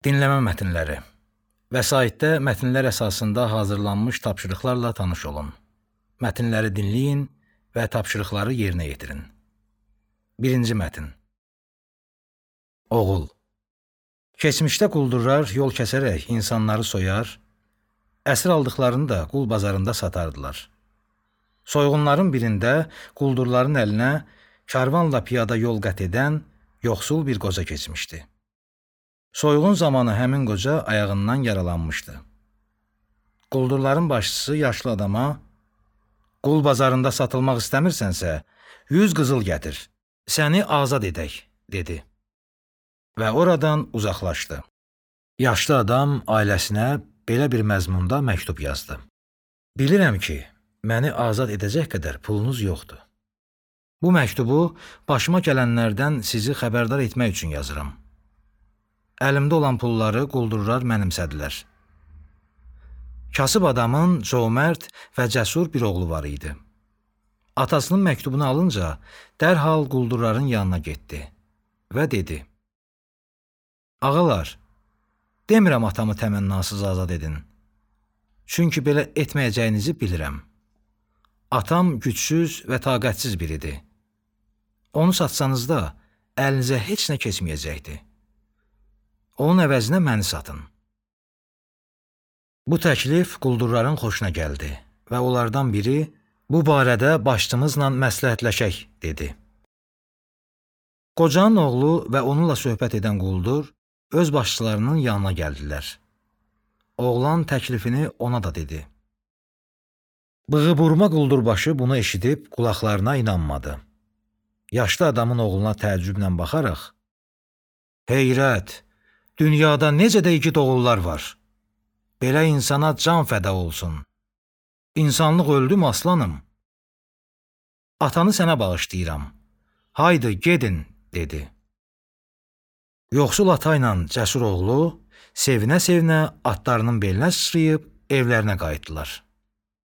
Dinləmə mətnləri. Vəsaitdə mətnlər əsasında hazırlanmış tapşırıqlarla tanış olun. Mətnləri dinləyin və tapşırıqları yerinə yetirin. Birinci mətn. Oğul. Keçmişdə quldurlar yol kəsərək insanları soyar, əsir aldıqlarını da qul bazarında satardılar. Soyğunların birində quldurların əlinə karvanla piyada yol qət edən yoxsul bir qoca keçmişdi. Soyğun zamanı həmin qoca ayağından yaralanmışdı. Quldurların başçısı yaşlı adama, qul bazarında satılmaq istəmirsənsə, 100 qızıl gətir, səni azad edək, dedi. Və oradan uzaqlaşdı. Yaşlı adam ailəsinə belə bir məzmunda məktub yazdı. Bilirəm ki, məni azad edəcək qədər pulunuz yoxdur. Bu məktubu başıma gələnlərdən sizi xəbərdar etmək üçün yazıram. Əlimdə olan pulları quldurlar mənimsədilər. Kasıb adamın cömərd və cəsur bir oğlu var idi. Atasının məktubunu alınca dərhal quldurların yanına getdi və dedi: Ağalar, demirəm atamı təmənnasız azad edin. Çünki belə etməyəcəyinizi bilirəm. Atam gücsüz və taqətsiz biridir. Onu satsanız da əlinizə heç nə keçməyəcəkdir. Onun əvəzinə məni satın. Bu təklif quldurların xoşuna gəldi və onlardan biri bu barədə başçımızla məsləhətləşək, dedi. Qocanın oğlu və onunla söhbət edən quldur öz başçılarının yanına gəldilər. Oğlan təklifini ona da dedi. Bığıburma quldurbaşı bunu eşidib qulaqlarına inanmadı. Yaşlı adamın oğluna təəccüblə baxaraq, Heyrət! Dünyada necə də igid oğullar var. Belə insana can fəda olsun. İnsanlıq öldüm aslanım. Atanı sənə bağışlayıram. Haydi, gedin, dedi. Yoxsul ata ilə cəsur oğlu sevinə-sevinə atlarının belinə sıçrayıb evlərinə qayıtdılar.